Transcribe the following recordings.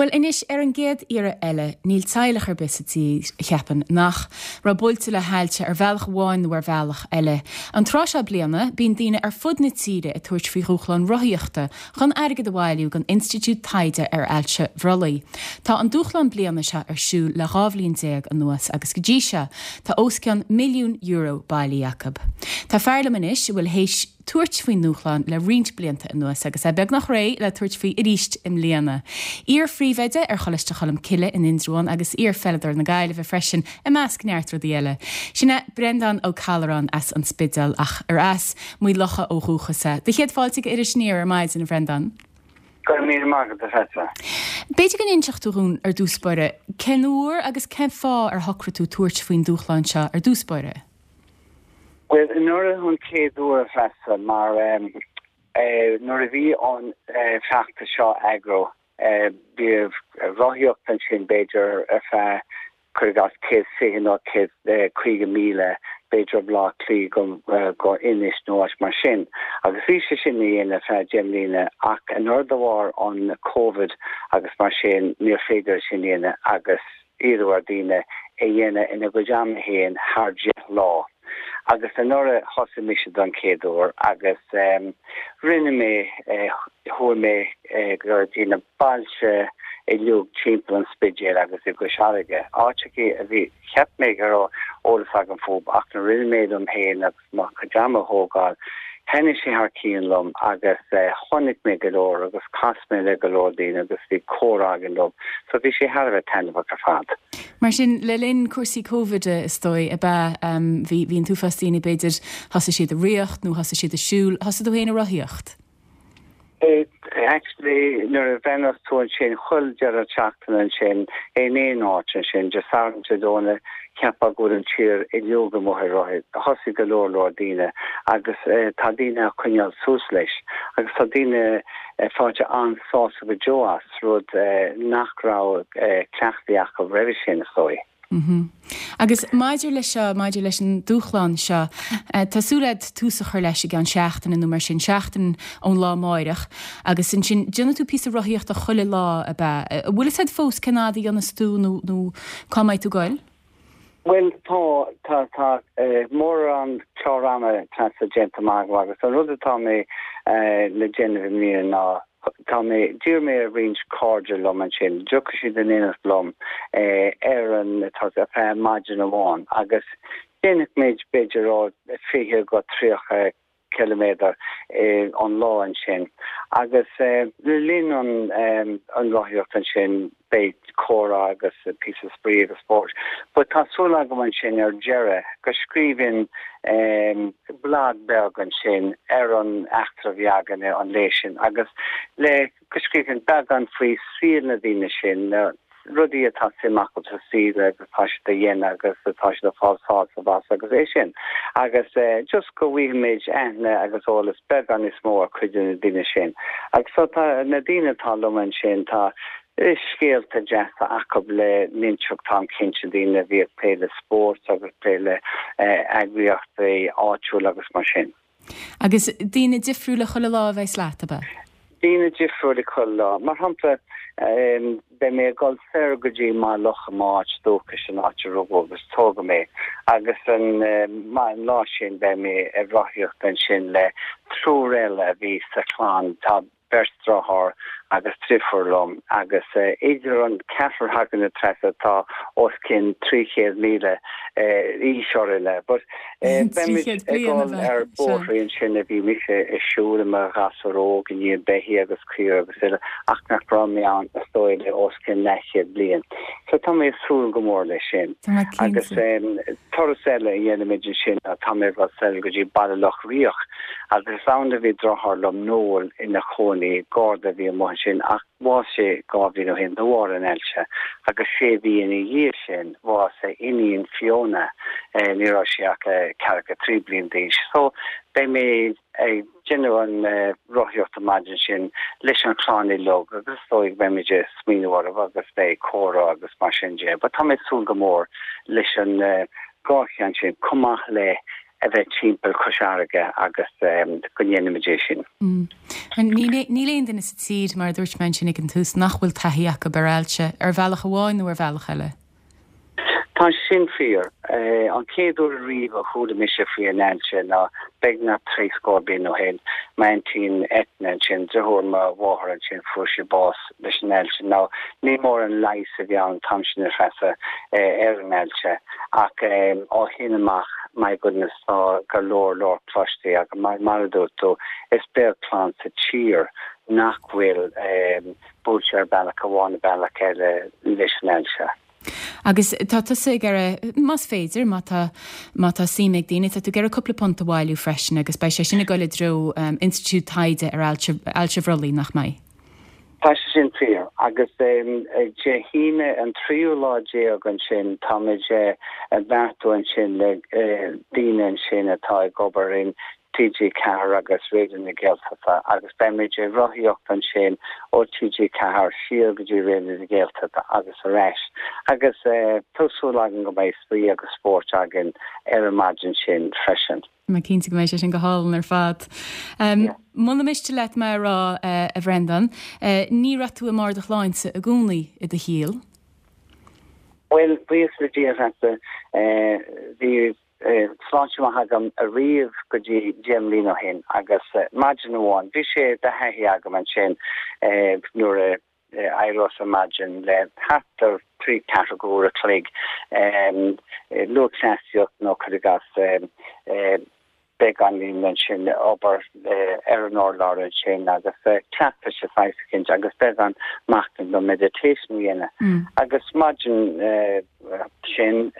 Bhuel, anois, ar an gcéad iarraidh eile, níl teaghlach ar bith sa tír, cheapfainn, nach raibh buailte le hailse ar bhealach amháin nó ar bhealach eile. An tráth seo bliana, bíonn daoine ar fud na tíre ag tabhairt faoi dhúshlán rothaíochta chun airgead a bhailiú don Institiúid Taighde ar Ailse Bhrollaigh. Tá an dúshlán bliana seo ar siúl le 12 bhliain anuas agus go dtí seo, tá os cionn €1,000,000 bailithe acu. Tá fear liom anois a bhfuil théis. tabhairt faoin ndúshlán le roinnt blianta anuas agus é beagnach réidh le tabhairt faoi arís i mbliana. Iar-phríomhoide ar Choláiste Cholm Cille in Indreabhán agus iar-pheileadóir na Gaillimhe freisin, i measc neart rudaí eile. Sin é Breandán Ó Callúráin as an Spidéal ach ar as Maigh Locha ó dhúchas é. Do chéad fáilte go Iris Aniar ar maidin, a Bhreandáin. Go raibh míle maith agat, a Threasa. B'fhéidir go n-inseodh tú dhúinn ar dtús báire cén uair agus cén fáth ar shocraigh tú tabhairt faoin dúshlán seo ar dtús báire? Bhuel, anuraidh an chéad uair a Threasa, mar nuair a bhí an feachtas seo á eagrú, bhí rothaíocht ansin b'fhéidir ar feadh, cuir i gcás, 120 nó 150 míle, b'fhéidir ó Bhaile Átha Cliath go Inis nó áit mar sin. Agus bhí sé sin á dhéanamh ar feadh 10 mbliana ach anuraidh de bharr an Covid agus mar sin níor féidir é sin a dhéanamh agus iarradh ar daoine é dhéanamh ina gcuid ama féin thar 10 lá. Agus anuraidh thosaigh mise don chéad uair agus rinne mé, chuaigh mé go dtí na bailte uilig timpeall an Spidéil agus i gCois Fharraige, áiteachaí a bhí, cheap mé go raibh eolas agam fúthu ach nuair a rinne mé liom féin agus mo chuid ama a thógáil. Thaitnigh sé thar cionn liom agus chonaic mé go leor agus chas mé le go leor daoine agus bhí comhrá againn leo. So bhí sé thar a bheith taitneamhach ar fad. Mar sin, le linn cúrsaí Covid is dóigh, ab ea? Bhí bhí an t-uafás daoine b'fhéidir, thosaigh siad ag ritheacht nó thosaigh siad ag siúl. Thosaigh tú féin ag rothaíocht? Actually, nuair a bhreathnaíos tú ansin, chuile deireadh seachtaine ansin, in aon áit ansin, Dé Sathairn, Dé Domhnaigh, cheapfá go bhfuil an tír uilig amuigh ag rothaíocht. Thosaigh go leor leor daoine agus tá daoine á coinneáil suas leis agus tá daoine faighte an-sásamh go deo as, rud nach raibh cleachtaithe acu roimhe sin, is dóigh. Agus maidir leis seo, maidir leis an dúshlán seo, tá súil agat tús a chur leis i gceann seachtaine nó mar sin, seachtain ón lá amáireach, agus ansin déanfaidh tú píosa rothaíochta chuile lá, ab ea? An bhfuil fhios agat fós cén fhad a dhéanfas tú nó nó cá mbeidh tú ag goil? Bhuel, tá, tá, tá mórán clár ama Treasa déanta amach agam agus an rud atá mé le déanamh i mbliana ná Tá mé, d'iarr mé ar roinnt cairde liom ansin, dtiocfadh siad in éineacht liom ar an, tá ar feadh maidin amháin agus déanfaidh muid b'fhéidir ó 20 go 30 ciliméadar an lá ansin agus le linn an an rothaíocht ansin beidh comhrá agus píosa spraoi agus spóirt. But tá súil agam ansin ar deireadh go scríobhfainn blag beag ansin ar an eachtra a bhí againne an lae sin agus le go scríobhfainn beagán faoi saol na daoine sin, na rudaí atá suim acu sa saol agus atá siad a dhéanamh agus atá siad ag fáil sásamh as agus é sin. Agus just go bhfaighimid aithne agus eolas beagán níos mó ar cuid de na daoine sin. Agus so tá na daoine atá liom ansin, tá scéalta deasa acu le n-inseacht, táim cinnte, daoine a bhí ag plé le spórt agus plé le eagraíochtaí áitiúla agus mar sin. Agus daoine difriúla chuile lá a bheas leat, ab ea? Daoine difriúla chuile lá. Mar shampla, beidh mé ag dul soir go dtí Maigh Locha, m'áit dúchais, an áit a rugadh agus tógadh mé, agus an lá sin beidh mé ag rothaíocht ansin le triúr eile a bhí sa chlann. Tá beirt deartháir agus driofúr liom agus idir an ceathrar againne Treasa tá os cionn 300,000 aois orainne. But beimid 300 ag bliain a dul bheith, ar sea. bóithrí ansin a bhí mise ag siúl i mo ghasúr óg i ndiaidh beithí agus caoire agus uile ach nach raibh mé ann is dóigh le os cionn leathchéad bliain. So tá mé ag súil go mór leis sin. Tá mé Agus cinnte. turas eile a dhéanfaimid ansin ná tá mé ag dul soir go dtí Baile Locha Riach Agus is ann a bhí deartháir liom, Noel, ina chónaí, garda a bhí amuigh ansin, ach bhásaigh sé dhá bhliain ó shin de bharr an ailse, agus sé mhí ina dhiaidh sin, bhásaigh a iníon Fiona, ní raibh sí ach ceathracha trí bliain d'aois. So, beidh mé ag déanamh an rothaíocht an maidin sin leis an chlann uilig agus is dóigh go mbeimid ag smaoineamh orthu agus beidh comhrá agus mar sin de. But tá mé ag súil go mór leis an dhá cheann sin, chomh maith le. a bheith timpeall Chois Fharraige agus go ndéanfaimid é sin. Níl aon duine sa tír, mar a dúirt mé ansin ag an tús, nach bhfuil taithí acu ar ailse, ar bhealach amháin nó ar bhealach eile. Tá sin fíor. An chéad uair ariamh a chuala mise faoi an ailse ná beagnach trí scór bliain ó shin. M'aintín Eithne ansin, deartháir mo mháthar ansin, fuair sí bás leis an ailse. Now, ní mórán leigheas a bhí ann an t-am sin, a Threasa, ar an ailse ach ó shin amach, my goodness, tá go leor leor cloiste agam. Mar a dúirt tú, is beag clann sa tír nach bhfuil buailte ar bealach amháin nó bealach eile leis an ailse. Agus tá tusa ag iarraidh, más féidir, má tá, má tá suim ag daoine, tá tú ag iarraidh cúpla punt a bhailiú freisin agus beidh sé sin ag dul i dtreo institiúid taighde ar ailse, ailse bhrollaigh, nach mbeidh? Tá sé sin fíor. Agus Dé hAoine an tríú lá déag ansin, táimid ag beartú ansin le daoine ansin atá ag obair in TG4 agus Raidió na Gaeltachta agus beimid ag rothaíocht ansin ó TG4 siar go dtí Raidió na Gaeltachta agus ar ais agus tá súil againn go mbeidh spraoi agus spórt againn ar an maidin sin freisin. Tá mé cinnte go mbeidh sé sin go hálainn ar fad. Muna miste leat mé a rá, a Bhreandáin, ní raibh tú i mbarr do shláinte i gcónaí i do shaol. Bhuel, buíochas le Dia, a Threasa, bhí sláinte mhaith agam ariamh go dtí 10 mbliana ó shin agus maidin amháin, bhí sé de thaithí agam ansin nuair a éireos ar maidin le thart ar thrí ceathrú go uair a chloig, lúthchleasaíocht nó cuir i gcás beagáinín ansin obair ar an urlár ansin agus cleachtas de shaghas eicínt agus beagán machnaimh nó meditation a dhéanamh. Agus maidin sin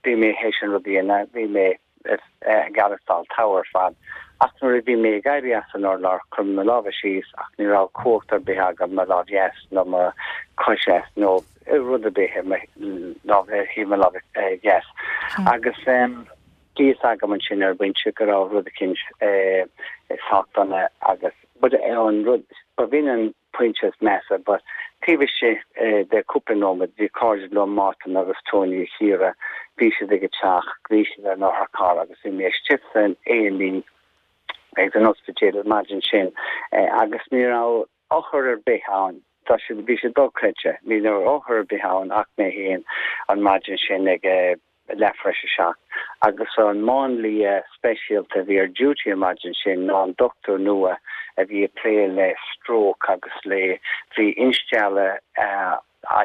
Bhí mé théis an rud a dhéanamh, bhí mé ag aireachtáil togha ar fad, ach nuair a bhí mé ag éirí as an urlár, chuir mé mo lámha síos ach ní raibh cumhacht ar bith agam mo lámh dheas nó mo chois dheas nó rud ar bith ar mo lámh, ar thaobh mo láimhe dheas. Agus bhí fhios agam ansin ar an bpointe go raibh rud eicínt sách dona agus but an rud ba bh'in an pointe is measa but taobh istigh de cúpla nóiméad bhí cairde liom, Mártan agus Tony a Chiara, bhí siad ag an teach, bhí siad ar an otharcharr agus bhí mé istigh san A&E ag an ospidéal an maidin sin agus ní raibh othar ar bith ann, tá siad, bhí sé dochreidte, ní raibh othar ar bith ann ach mé féin an maidin sin ag leath tar éis a 7, agus an máinlia speisialta a bhí ar duty an maidin sin ná an dochtúir nua a bhí ag plé le stroke agus le, bhí instealladh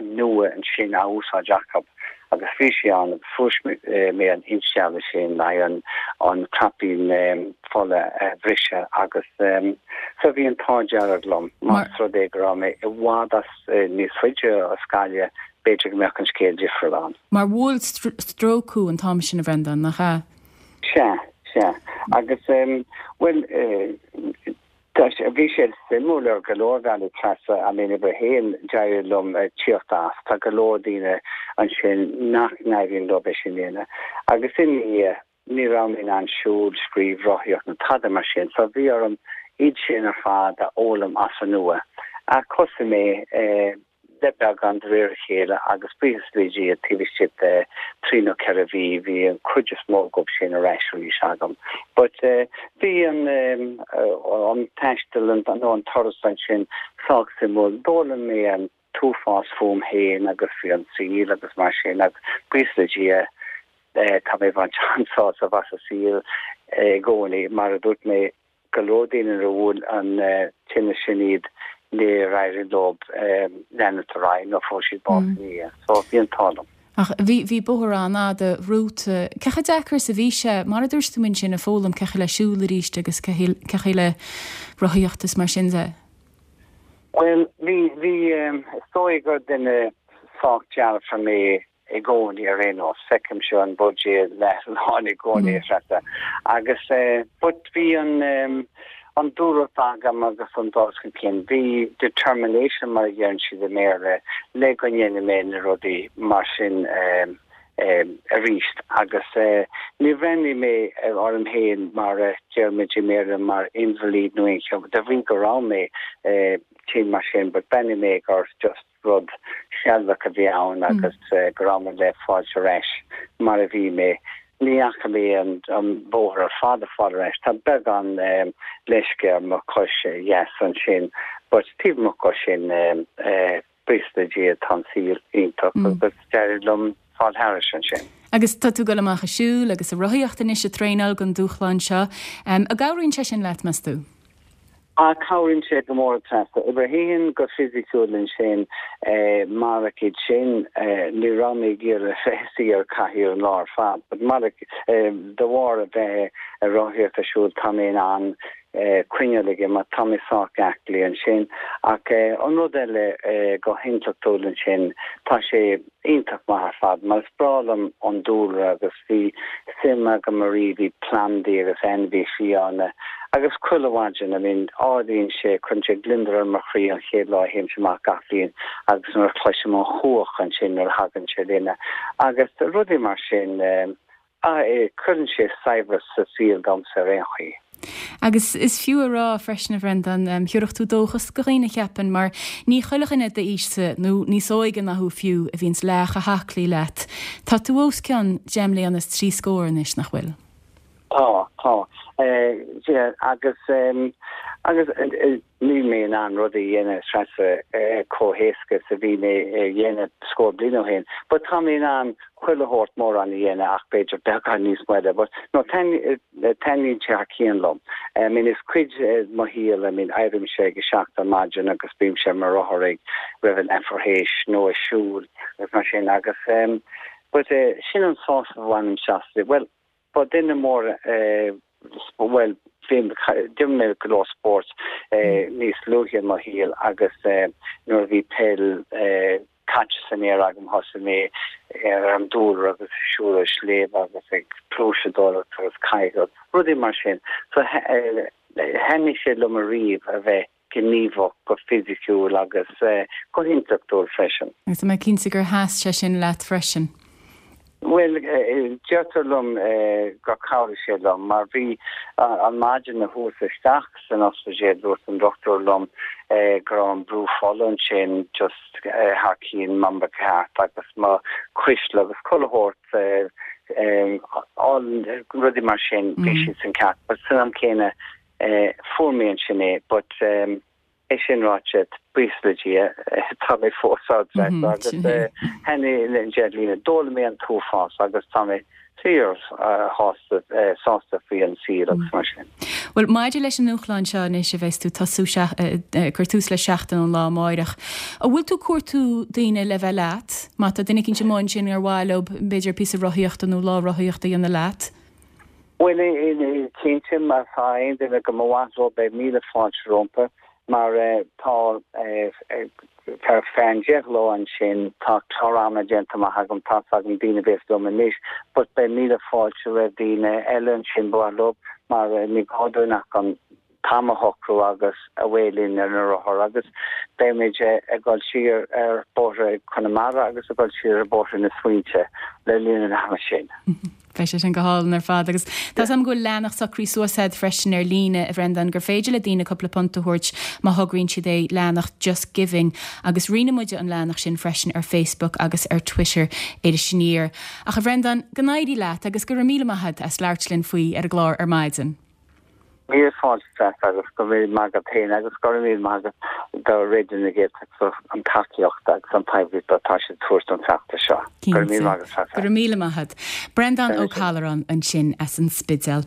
nua ansin á úsáid acu agus bhí sé ann agus fuair mé an instealladh sin le an an craipín fola a bhriseadh agus so bhí an t-ádh dearg liom más rud é go raibh mé i bhfad as níos faide as Gaillimh b'fhéidir go mbeadh an scéal difriúil ann. Mar bhuail stróc thú an t-am sin, a Bhreandáin, nach ea? Sea, sea. Agus, bhuel, bhí sé suimiúil ar go leor bealaí, Treasa, I mean, uimhir a haon, d'éirigh liom tíocht as. Tá go leor daoine ansin nach n-éiríonn leo é sin a dhéanamh. Agus ina dhiaidh, Ní raibh mé in ann siúl, scríobh, rothaíocht ná tada mar sin, so bhí orm iad sin ar fad a fhoghlaim as an nua. Ach thosaigh mé le beagán de réir a chéile agus buíochas le Dia taobh istigh de thrí nó ceithre mhí bhí an chuid is mó dhóibh sin ar ais arís agam. But bhí an an taisteal nó an turas ansin sách suimiúil. D'fhoghlaim mé an t-uafás fúm féin agus faoi an saol agus mar sin agus buíochas le Dia tá mé ag baint an-sásamh as an saol i gcónaí. Mar a dúirt mé, go leor daoine nuair a bhuail an tinneas sin iad níor éirigh leo leanúint ar aghaidh nó fuair siad bás ina dhiaidh. So bhí an t-ádh liom. Ach bhí, bhí bóthar an-fhada romhat. Cé chomh deacair is a bhí sé, mar a dúirt tú ansin, ag foghlaim cén chaoi le siúl arís agus cén chaoi le rothaíocht is mar sin de? Bhuel, bhí, bhí, is dóigh gur duine sách dearfa mé i gcónaí ar aon nós. Feicimse an buidéal leath-lán i gcónaí, a Threasa. Agus, but bhí an, an dúthracht agam agus an dul chun cinn, bhí determination mar a deireann siad i mBéarla, le go ndéanfaidh mé na rudaí mar sin arís. Agus níor bhreathnaigh mé orm féin mar a deir muid i mBéarla mar invalid nó aon cheo, de bhrí go raibh mé tinn mar sin, but bhreathnaigh mé gur just rud sealadach a bhí ann agus go raibh mé le fáilt ar ais mar a bhí mé. Ní fhaca mé an bóthar ar fad ag fáil ar ais. Tá beagán leisce ar mo chois dheas ansin but taobh amuigh de sin, buíochas le Dia, tá an saol iontach agus d'éirigh liom fáil thairis ansin. Agus tá tú ag dul amach ag siúl agus ag rothaíocht anois ag traenáil don dúshlán seo. An gcabhraíonn sé sin leat, meas tú? Ah, cabhraíonn sé go mór, Treasa. Obair théann go fisiciúil ansin, marach iad sin, ní raibh mé ag iarraidh a bheith ag suí ar cathaoir an lá ar fad, but marach, de bharr a bheith ag rothaíocht ag siúl, tá mé in ann coinneáil ag imeacht, tá mé sách aclaí ansin. Ach an rud eile go hintleachtúil ansin, tá sé iontach maith ar fad mar is breá liom an dúlra agus bhí suim agam ariamh i plandaí agus ainmhithe fiáine agus chuile mhaidin, I mean ardaíonn sé, cuireann sé gliondar ar mo chroí an chéad lá a théimse amach gach bliain agus nuair a chloisim an chuach ansin nuair a thagann sé linn agus rudaí mar sin. Ah, cuireann sé saibhreas sa saol domsa ar aon chaoi. Agus is fiú a rá freisin, a Bhrendan, thiúrfadh tú dóchas do dhaoine, cheapfainn, mar ní chuile dhuine d'aois-sa, nó níos óige ná thú fiú, a bhíonns leath chomh haclaí leat. Tá tú os cionn deich mbliana is trí scór anois, nach bhfuil? Tá, tá. Agus, agus Níl mé in ann rudaí a dhéanamh Treasa chomh héasca is a bhí mé a dhéanamh scór bliain ó shin but tá mé in ann chuile shórt mórán a dhéanamh ach b'fhéidir beagán níos moille but no taitníonn sé thar cionn liom. I mean is cuid de mo shaol I mean éirímse ag a seacht ar maidin agus bímse ar mo rothar ag roimh a leathuair théis nó ag siúl agus mar sin agus but sin an sásamh a bhainimse as bhuel Ba duine mór bhuel, bhí, d'imir mé go leor spóirt níos luaithe i mo shaol agus nuair a bhí peil caite san aer agam thosaigh mé ar an dúlra agus ag siúl ar sléibhe agus ag pluaiseadóireacht agus cadhcáil, rudaí mar sin. So thaitnigh sé liom ariamh a bheith gníomhach go fisiciúil agus go hintleachtúil freisin. Agus tá mé cinnte gur sheas sé sin leat freisin. Bhuel, deirtear liom gur chabhraigh sé liom mar bhí an maidin a chuas isteach san ospidéal dúirt an dochtúir liom go raibh an brú fola ansin just thar cionn mar ba cheart agus mo chuisle agus chuile shórt rudaí mar sin bhí siad san ceart but san am céanna Fuair mé ansin é but é sin ráite, buíochas le Dia, tá mé fós ann agus thaitnigh an deich mbliana. D'fhoghlaim mé an t-uafás agus tá mé fíor shásta sásta faoi an saol agus mar sin. Bhuel, maidir leis an ndúshlán seo anois a bheas tú tosú ag cur tús leis seachtain ón lá amáireach, an bhfuil tú ag cuartú daoine le bheith leat? Má tá duine eicínt amuigh ansin ar mhaith leo b'fhéidir píosa rothaíochta nó lá rothaíochta a dhéanamh leat? Bhuel, cinnte, má tá aon duine go mba mhaith leo, beidh míle fáilte rompu, mar tá, ar feadh an deich lá ansin, tá clár ama déanta amach agam, tá's agam daoine a bhéas liom anois, but beidh míle fáilte roimh daoine eile ansin ba mhaith leo, mar ní gá dúinn ach an t-am a shocrú agus away linn ar na rothair agus beimid ag dul siar ar bóithre Chonamara agus ag dul siar ar bóithre na smaointe le linn an ama sin. Beidh sé sin go hálainn ar fad agus tá 's agam go bhfuil leathanach socraithe suas agat freisin ar líne, a Bhrendáin, gur féidir le daoine cúpla punt a thabhairt má thograíonn siad é, leathanach Just Giving agus roinnfidh muide an leathanach sin freisin ar Facebook agus ar Twitter Iris Aniar. Ach a Bhrendáin, go n-éirí leat agus go raibh míle maith agat as labhairt linn faoi ar an gclár ar maidin. Míle fáilte Treasa agus go raibh míle maith agat féin agus go raibh míle maith agat do Raidió na Gaeltachta an tacaíocht agus an poiblíocht atá siad ag tabhairt don feachtas seo. Go raibh míle maith agat Treasa. Go raibh míle maith agat. Breandán Ó Callacháin ansin as an Spidéal.